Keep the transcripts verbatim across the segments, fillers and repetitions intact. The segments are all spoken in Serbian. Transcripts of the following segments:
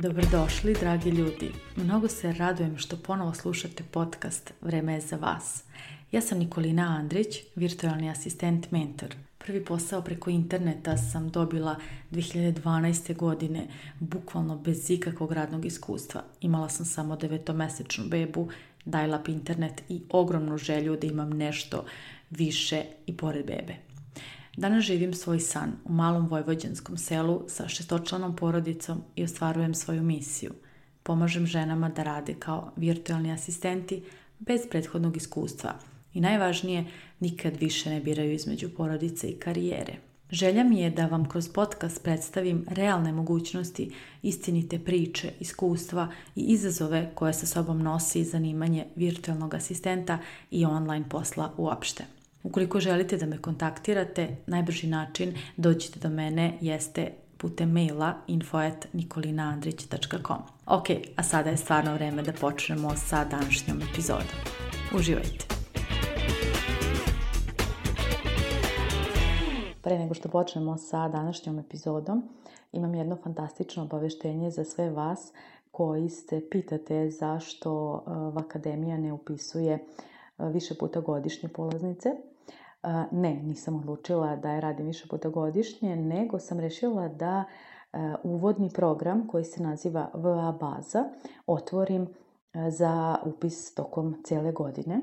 Dobrodošli, dragi ljudi. Mnogo se radujem što ponovo slušate podcast Vreme je za vas. Ja sam Nikolina Andrić, virtualni asistent mentor. Prvi posao preko interneta sam dobila dve hiljade dvanaeste. godine, bukvalno bez ikakvog radnog iskustva. Imala sam samo devetomesečnu bebu, dial-up internet i ogromnu želju da imam nešto više i pored bebe. Danas živim svoj san u malom vojvođanskom selu sa šestočlanom porodicom i ostvarujem svoju misiju. Pomažem ženama da rade kao virtualni asistenti bez prethodnog iskustva i najvažnije, nikad više ne biraju između porodice i karijere. Želja mi je da vam kroz podcast predstavim realne mogućnosti, istinite priče, iskustva i izazove koje sa sobom nosi zanimanje virtualnog asistenta i online posla uopšte. Ukoliko želite da me kontaktirate, najbrži način dođite do mene jeste putem maila info at nikolinaandrić tačka com. Ok, a sada je stvarno vreme da počnemo sa današnjom epizodom. Uživajte! Pre nego što počnemo sa današnjom epizodom, imam jedno fantastično obaveštenje za sve vas koji se pitate zašto Vakademija ne upisuje više puta godišnje polaznice. Ne, nisam odlučila da je radim više puta godišnje, nego sam rešila da uvodni program koji se naziva V A baza otvorim za upis tokom cijele godine.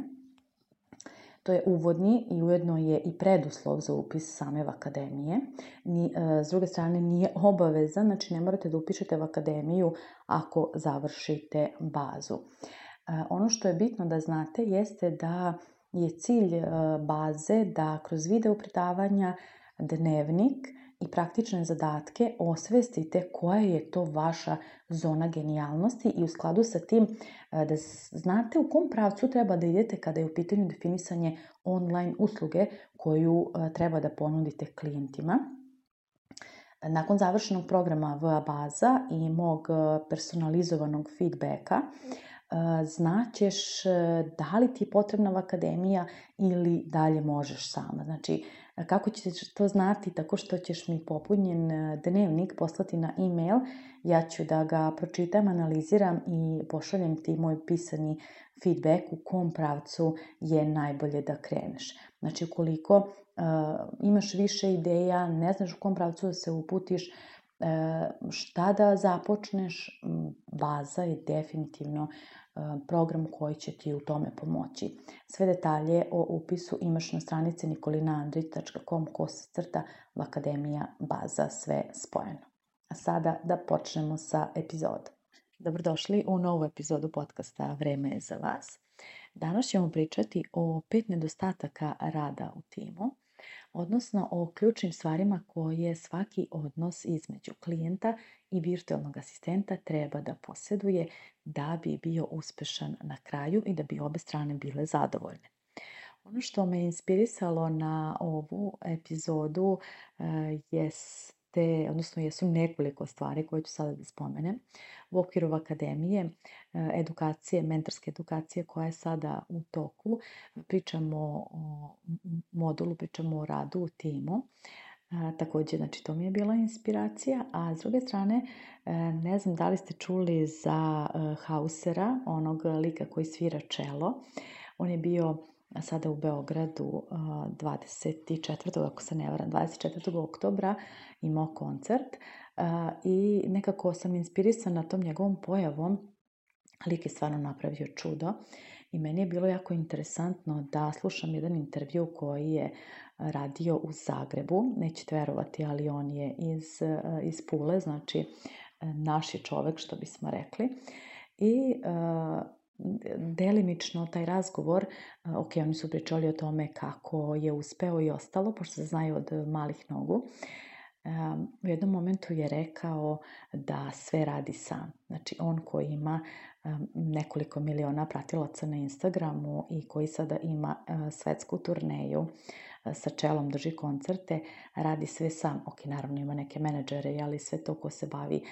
To je uvodni i ujedno je i preduslov za upis same Vakademije. S druge strane nije obavezan, znači ne morate da upišete Vakademiju ako završite bazu. Ono što je bitno da znate jeste da je cilj baze da kroz video predavanja, dnevnik i praktične zadatke osvestite koja je to vaša zona genijalnosti i u skladu sa tim da znate u kom pravcu treba da idete kada je u pitanju definisanje online usluge koju treba da ponudite klijentima. Nakon završenog programa V A baza i mog personalizovanog feedbacka, znaćeš da li ti je potrebna Vakademija ili dalje možeš sama. Znači, kako ćeš to znati? Tako što ćeš mi popunjen dnevnik poslati na e-mail, ja ću da ga pročitam, analiziram i pošaljem ti moj pisani feedback u kom pravcu je najbolje da kreneš. Znači, ukoliko uh, imaš više ideja, ne znaš u kom pravcu da se uputiš, šta da započneš, baza je definitivno program koji će ti u tome pomoći. Sve detalje o upisu imaš na stranici nikolinaandrić tačka com kosacrta Vakademija baza, sve spojeno. A sada da počnemo sa epizodom. Dobrodošli u novu epizodu podcasta Vreme je za vas. Danas ćemo pričati o pet nedostataka rada u timu, odnosno o ključnim stvarima koje svaki odnos između klijenta i virtualnog asistenta treba da posjeduje da bi bio uspešan na kraju i da bi obe strane bile zadovoljne. Ono što me inspirisalo na ovu epizodu jeste, odnosno jesu nekoliko stvari koje ću sada da spomenem. U okviru Akademije, edukacije, mentorske edukacije koja je sada u toku, pričamo o modulu, pričamo o radu u timu. Također, znači, to mi je bila inspiracija, a s druge strane, ne znam da li ste čuli za Hausera, onog lika koji svira čelo. On je bio sada u Beogradu dvadeset četvrtog ako se ne varam, dvadeset četvrtog oktobra imao koncert i nekako sam inspirisana tom njegovom pojavom. Lik je stvarno napravio čudo i meni je bilo jako interesantno da slušam jedan intervju koji je radio u Zagrebu. Nećete verovati, ali on je iz, iz Pule, znači naš je čovek, što bismo rekli. I uh, delimično taj razgovor, ok, oni su pričali o tome kako je uspeo i ostalo, pošto se znaju od malih nogu. U jednom momentu je rekao da sve radi sam. Znači, on koji ima nekoliko miliona pratilaca na Instagramu i koji sada ima svetsku turneju sa čelom drži koncerte, radi sve sam. Ok, naravno ima neke menadžere, ali sve to ko se bavi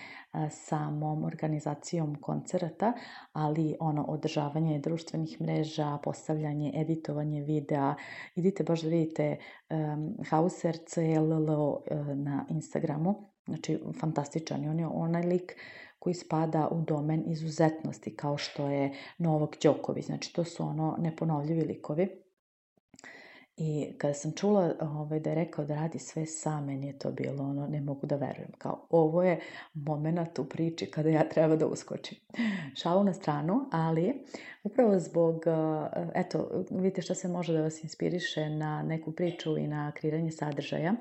samom organizacijom koncerata, ali ono održavanje društvenih mreža, postavljanje, editovanje videa, idite baš da vidite um, Hauser C L L O na Instagramu, znači fantastičan je, on je onaj lik koji spada u domen izuzetnosti, kao što je Novak Đoković, znači to su ono neponovljivi likovi. I kada sam čula ovaj, da je rekao da radi sve sam, meni je to bilo ono, ne mogu da verujem, kao ovo je moment u priči kada ja treba da uskočim. Šalu na stranu, ali upravo zbog, eto, vidite šta se može da vas inspiriše na neku priču i na kreiranje sadržaja.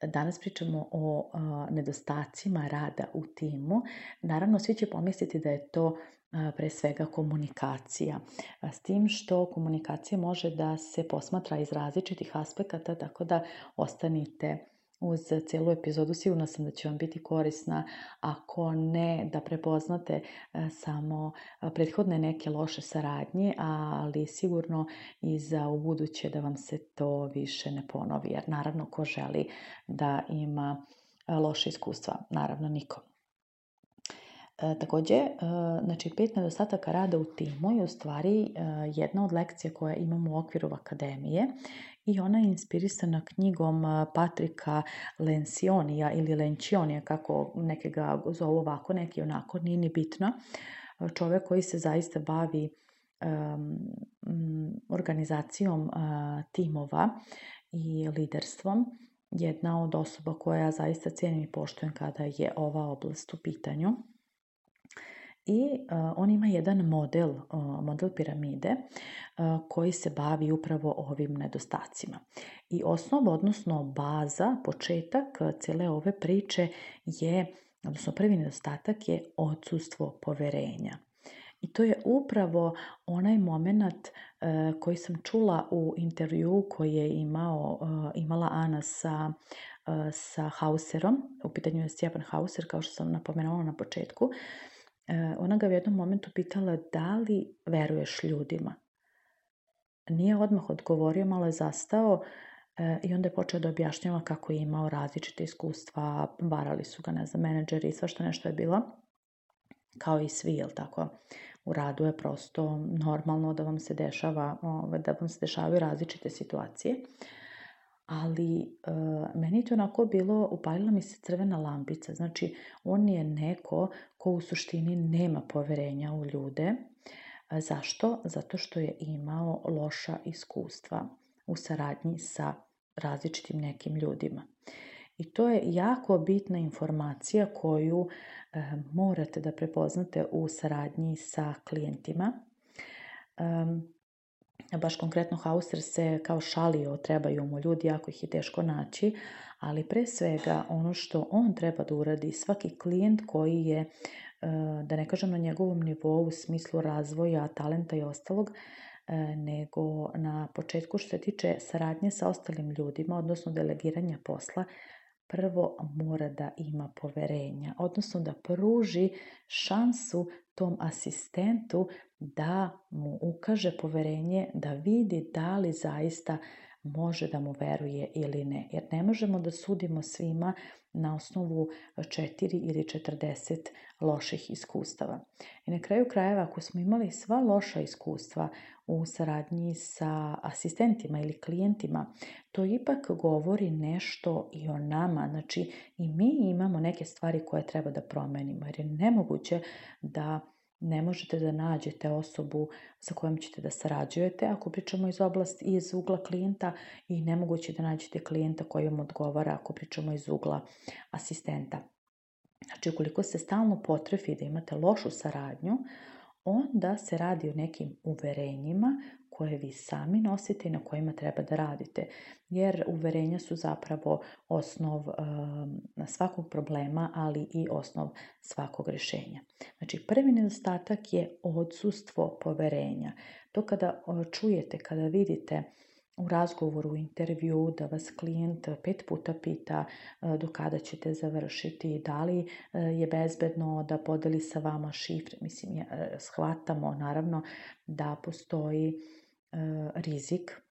Danas pričamo o a, nedostacima rada u timu. Naravno, svi će pomisliti da je to a, pre svega komunikacija. A, s tim što komunikacija može da se posmatra iz različitih aspekata, tako da ostanite uz cijelu epizodu. Sigurno sam da će vam biti korisna, ako ne da prepoznate a, samo a, prethodne neke loše saradnje, ali sigurno i za ubuduće da vam se to više ne ponovi. Jer naravno ko želi da ima loše iskustva? Naravno niko. E, takođe, e, znači pet nedostataka rada u timu je u stvari e, jedna od lekcija koje imamo u okviru akademije i ona je inspirisana knjigom Patrika Lencioni-a ili Lencioni-a, kako neke ga zovu ovako, neki onako, nije ni bitno. Čovek koji se zaista bavi um, organizacijom uh, timova i liderstvom, jedna od osoba koja zaista cijenim i poštujem kada je ova oblast u pitanju. I uh, on ima jedan model, uh, model piramide uh, koji se bavi upravo ovim nedostacima. I osnov, odnosno baza, početak cijele ove priče je, odnosno prvi nedostatak je odsustvo poverenja. I to je upravo onaj moment uh, koji sam čula u intervjuu koji je imao, uh, imala Ana sa, uh, sa Hauserom. U pitanju je Stjepan Hauser, kao što sam napomenula na početku. Ona ga u jednom momentu pitala da li veruješ ljudima. Nije odmah odgovorio, malo je zastao i onda je počeo da objašnjava kako je imao različite iskustva, varali su ga, ne znam, menadžeri i svašta nešto je bilo, kao i svi, jel tako? U radu je prosto normalno da vam se dešava, da vam se dešavaju različite situacije. Ali e, meni je to onako bilo, upalila mi se crvena lampica. Znači, on je neko ko u suštini nema poverenja u ljude. E, zašto? Zato što je imao loša iskustva u saradnji sa različitim nekim ljudima. I to je jako bitna informacija koju e, morate da prepoznate u saradnji sa klijentima. E, Baš konkretno Hauser se kao šalio, trebaju mu ljudi, jako ih je teško naći, ali pre svega ono što on treba da uradi, svaki klijent koji je, da ne kažem na njegovom nivou u smislu razvoja, talenta i ostalog, nego na početku što se tiče saradnje sa ostalim ljudima, odnosno delegiranja posla, prvo mora da ima poverenja, odnosno da pruži šansu tom asistentu da mu ukaže poverenje, da vidi da li zaista može da mu veruje ili ne. Jer ne možemo da sudimo svima na osnovu četiri ili četrdeset loših iskustava. I na kraju krajeva, ako smo imali sva loša iskustva u saradnji sa asistentima ili klijentima, to ipak govori nešto i o nama. Znači, i mi imamo neke stvari koje treba da promenimo, jer je nemoguće da ne možete da nađete osobu sa kojom ćete da sarađujete, ako pričamo iz oblasti iz ugla klijenta, i nemoguće da nađete klijenta koji vam odgovara ako pričamo iz ugla asistenta. Znači, ukoliko se stalno potrefi da imate lošu saradnju, onda se radi o nekim uverenjima koje vi sami nosite i na kojima treba da radite. Jer uverenja su zapravo osnov um, svakog problema, ali i osnov svakog rješenja. Znači, prvi nedostatak je odsustvo poverenja. To kada čujete, kada vidite u razgovoru, u intervju, da vas klijent pet puta pita do kada ćete završiti, da li je bezbedno da podeli sa vama šifre. Mislim, shvatamo naravno da postoji rizik,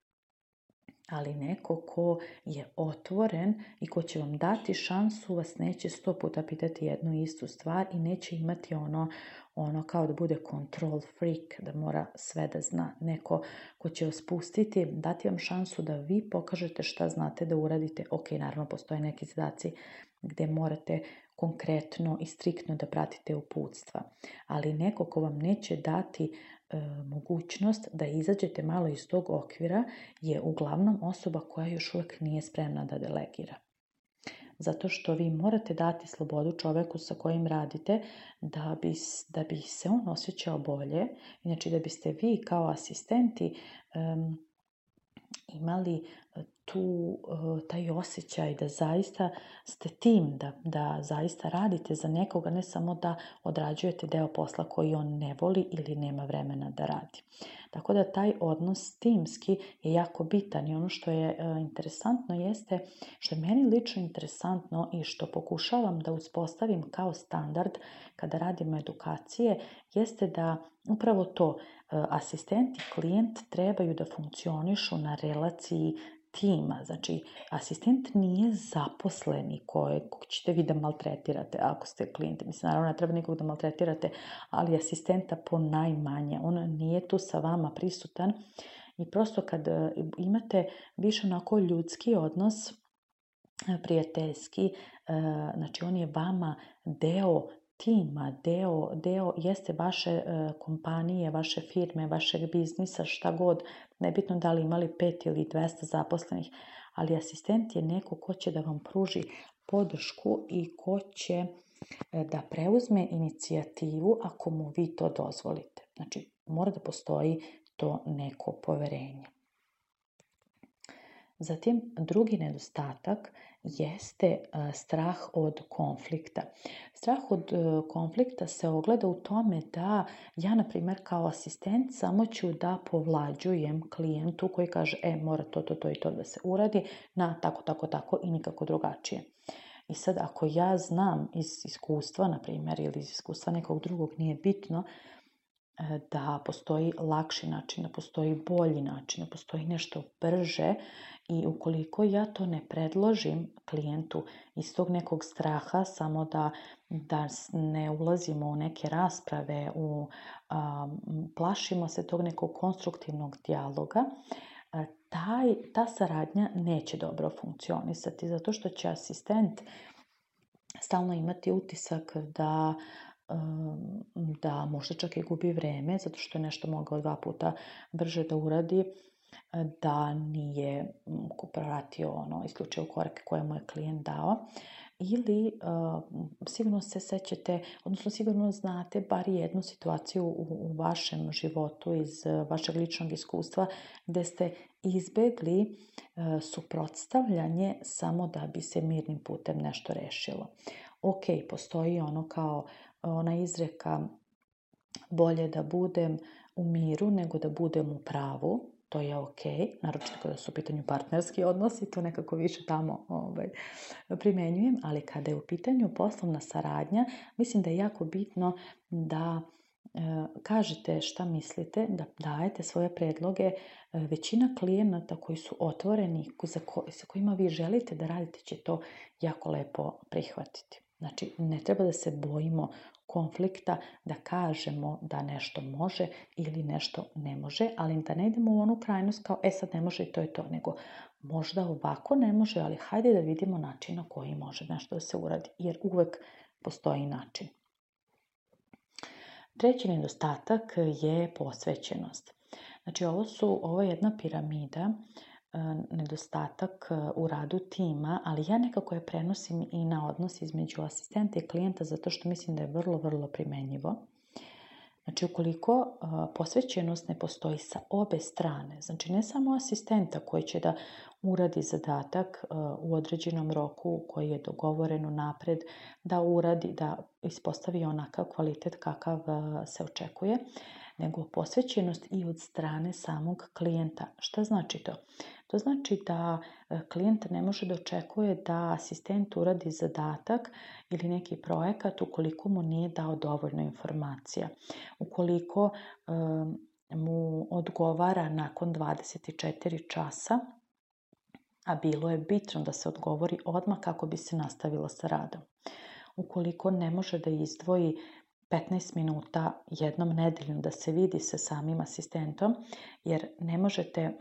Ali neko ko je otvoren i ko će vam dati šansu vas neće sto puta pitati jednu istu stvar i neće imati ono, ono kao da bude control freak, da mora sve da zna. Neko ko će vas pustiti, dati vam šansu da vi pokažete šta znate da uradite. Ok, naravno postoje neki zadaci gde morate konkretno i striktno da pratite uputstva. Ali neko ko vam neće dati e, mogućnost da izađete malo iz tog okvira je uglavnom osoba koja još uvek nije spremna da delegira. Zato što vi morate dati slobodu čoveku sa kojim radite da bi, da bi se on osjećao bolje. Znači da biste vi kao asistenti um, imali tu, taj osjećaj da zaista ste tim, da, da zaista radite za nekoga, ne samo da odrađujete deo posla koji on ne voli ili nema vremena da radi. Tako da taj odnos timski je jako bitan i ono što je interesantno jeste, što je meni lično interesantno i što pokušavam da uspostavim kao standard kada radimo edukacije, jeste da upravo to asistent i klijent trebaju da funkcionišu na relaciji tima. Znači, asistent nije zaposleni kojeg ćete vi da maltretirate ako ste klijenti. Mislim, naravno, ne treba nikog da maltretirate, ali asistenta po najmanje. On nije tu sa vama prisutan i prosto kad imate više onako ljudski odnos, prijateljski, znači on je vama deo tima, deo, deo jeste vaše e, kompanije, vaše firme, vašeg biznisa, šta god, nebitno da li imali pet ili dvesta zaposlenih, ali asistent je neko ko će da vam pruži podršku i ko će e, da preuzme inicijativu ako mu vi to dozvolite. Znači, mora da postoji to neko poverenje. Zatim, drugi nedostatak jeste strah od konflikta. Strah od konflikta se ogleda u tome da ja, na primjer, kao asistent samo ću da povlađujem klijentu koji kaže, e, mora to, to, to i to da se uradi na tako, tako, tako i nikako drugačije. I sad, ako ja znam iz iskustva, na primjer, ili iz iskustva nekog drugog, nije bitno, da postoji lakši način, da postoji bolji način, da postoji nešto brže i ukoliko ja to ne predložim klijentu iz tog nekog straha, samo da, da ne ulazimo u neke rasprave, u, a, plašimo se tog nekog konstruktivnog dijaloga, a, taj, ta saradnja neće dobro funkcionisati, zato što će asistent stalno imati utisak da da možda čak i gubi vreme, zato što je nešto mogao dva puta brže da uradi, da nije pratio ono, isključio korake koje mu je klijent dao. Ili uh, sigurno se sećate, odnosno sigurno znate bar jednu situaciju u, u vašem životu iz vašeg ličnog iskustva gde ste izbegli uh, suprotstavljanje samo da bi se mirnim putem nešto rešilo. Ok, postoji ono kao ona izreka bolje da budem u miru nego da budem u pravu, to je ok, naročito kada su u pitanju partnerski odnosi, to nekako više tamo ovaj, primenjujem, ali kada je u pitanju poslovna saradnja, mislim da je jako bitno da e, kažete šta mislite, da dajete svoje predloge. E, većina klijenata koji su otvoreni, za ko, sa kojima vi želite da radite, će to jako lepo prihvatiti. Znači, ne treba da se bojimo konflikta, da kažemo da nešto može ili nešto ne može, ali da ne idemo u onu krajnost kao, e sad ne može i to je to, nego možda ovako ne može, ali hajde da vidimo način na koji može nešto da se uradi, jer uvek postoji način. Treći nedostatak je posvećenost. Znači, ovo su, ovo je jedna piramida, nedostatak u radu tima, ali ja nekako je prenosim i na odnos između asistenta i klijenta zato što mislim da je vrlo, vrlo primenjivo. Znači, ukoliko posvećenost ne postoji sa obe strane, znači ne samo asistenta koji će da uradi zadatak u određenom roku koji je dogovoren unapred, da uradi, da ispostavi onakav kvalitet kakav se očekuje, nego posvećenost i od strane samog klijenta. Šta znači to? To znači da klijent ne može da očekuje da asistent uradi zadatak ili neki projekat ukoliko mu nije dao dovoljno informacija. Ukoliko um, mu odgovara nakon dvadeset četiri časa a bilo je bitno da se odgovori odmah kako bi se nastavilo sa radom. Ukoliko ne može da izdvoji petnaest minuta jednom nedeljom da se vidi sa samim asistentom, jer ne možete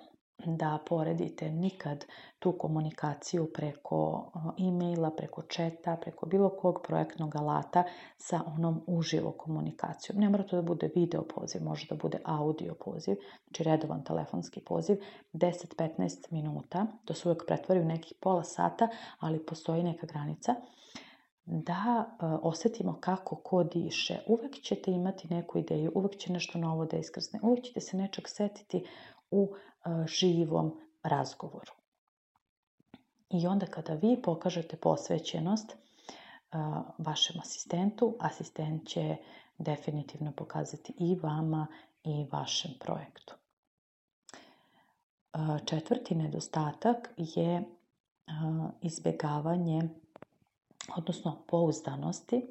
da poredite nikad tu komunikaciju preko e-maila, preko četa, preko bilo kog projektnog alata sa onom uživo komunikacijom. Ne mora to da bude video poziv, može da bude audio poziv, znači redovan telefonski poziv, deset do petnaest minuta, to se uvijek pretvori u nekih pola sata, ali postoji neka granica, da osetimo kako ko diše. Uvek ćete imati neku ideju, uvek će nešto novo da iskrsne, uvek ćete se nečeg setiti u živom razgovoru. I onda kada vi pokažete posvećenost vašem asistentu, asistent će definitivno pokazati i vama i vašem projektu. Četvrti nedostatak je izbjegavanje, odnosno pouzdanosti.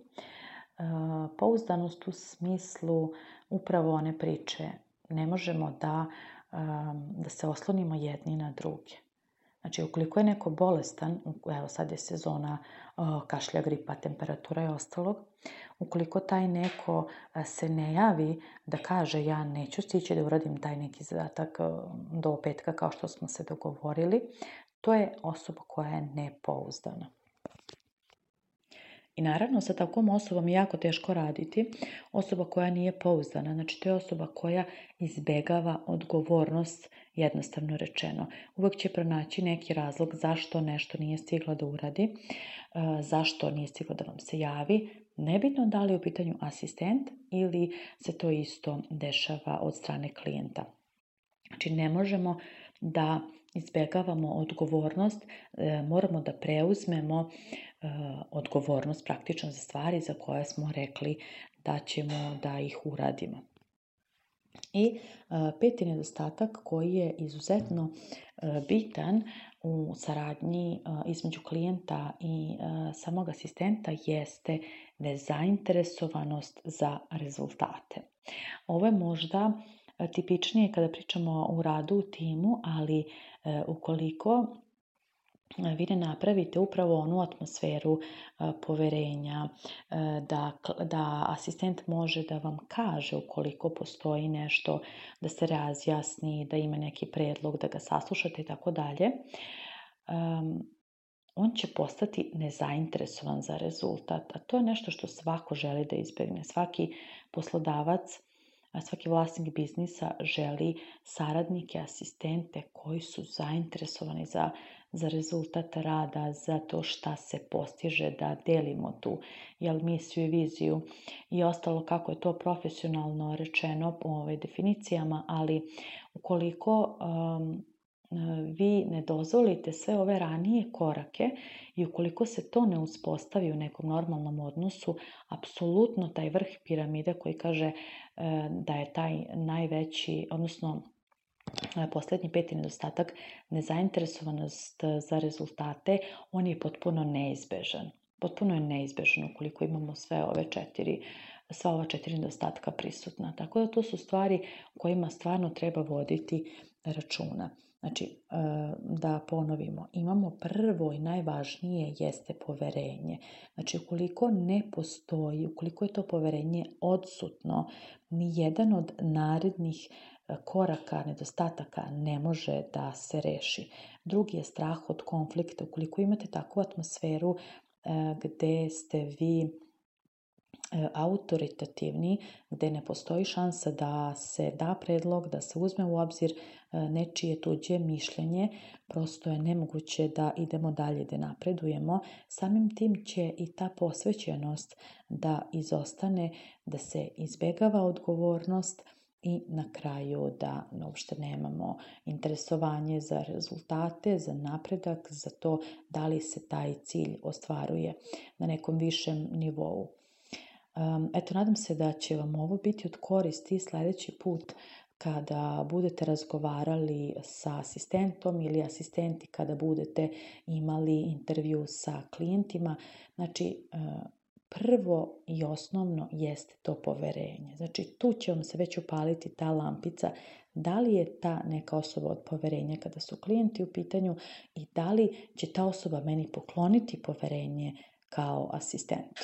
Pouzdanost u smislu upravo one priče. Ne možemo da, da se oslonimo jedni na druge. Znači, ukoliko je neko bolestan, evo sad je sezona kašlja, gripa, temperatura i ostalog, ukoliko taj neko se ne javi da kaže ja neću stići da uradim taj neki zadatak do petka kao što smo se dogovorili, to je osoba koja je nepouzdana. I naravno, sa takvom osobom je jako teško raditi. Osoba koja nije pouzdana, znači to je osoba koja izbegava odgovornost, jednostavno rečeno. Uvijek će pronaći neki razlog zašto nešto nije stigla da uradi, zašto nije stigla da vam se javi. Nebitno da li je u pitanju asistent ili se to isto dešava od strane klijenta. Znači ne možemo da izbegavamo odgovornost, moramo da preuzmemo odgovornost praktično za stvari za koje smo rekli da ćemo da ih uradimo. I peti nedostatak koji je izuzetno bitan u saradnji između klijenta i samog asistenta jeste nezainteresovanost za rezultate. Ovo je možda tipičnije kada pričamo o radu u timu, ali ukoliko vi ne napravite upravo onu atmosferu poverenja, da, da asistent može da vam kaže ukoliko postoji nešto, da se razjasni, da ima neki predlog, da ga saslušate i tako dalje, on će postati nezainteresovan za rezultat. A to je nešto što svako želi da izbjegne. Svaki poslodavac, svaki vlasnik biznisa želi saradnike, asistente koji su zainteresovani za, za rezultat rada, za to šta se postiže, da delimo tu jel, misiju i viziju i ostalo kako je to profesionalno rečeno u ovoj definicijama, ali ukoliko um, vi ne dozvolite sve ove ranije korake i ukoliko se to ne uspostavi u nekom normalnom odnosu, apsolutno taj vrh piramide koji kaže da je taj najveći, odnosno posljednji peti nedostatak, nezainteresovanost za rezultate, on je potpuno neizbežan. Potpuno je neizbežan ukoliko imamo sve ove četiri, sva ova četiri nedostatka prisutna. Tako da to su stvari u kojima stvarno treba voditi računa. Znači, da ponovimo, imamo prvo i najvažnije jeste poverenje. Znači, ukoliko ne postoji, ukoliko je to poverenje odsutno, ni jedan od narednih koraka, nedostataka ne može da se reši. Drugi je strah od konflikta. Ukoliko imate takvu atmosferu gde ste vi autoritativni, gde ne postoji šansa da se da predlog, da se uzme u obzir nečije tuđe mišljenje, prosto je nemoguće da idemo dalje, da napredujemo. Samim tim će i ta posvećenost da izostane, da se izbegava odgovornost i na kraju da uopšte nemamo interesovanje za rezultate, za napredak, za to da li se taj cilj ostvaruje na nekom višem nivou. Eto, nadam se da će vam ovo biti od koristi sljedeći put kada budete razgovarali sa asistentom ili asistenti kada budete imali intervju sa klijentima. Znači, prvo i osnovno jeste to poverenje. Znači, tu će vam se već upaliti ta lampica, da li je ta neka osoba od poverenja kada su klijenti u pitanju i da li će ta osoba meni pokloniti poverenje kao asistentu.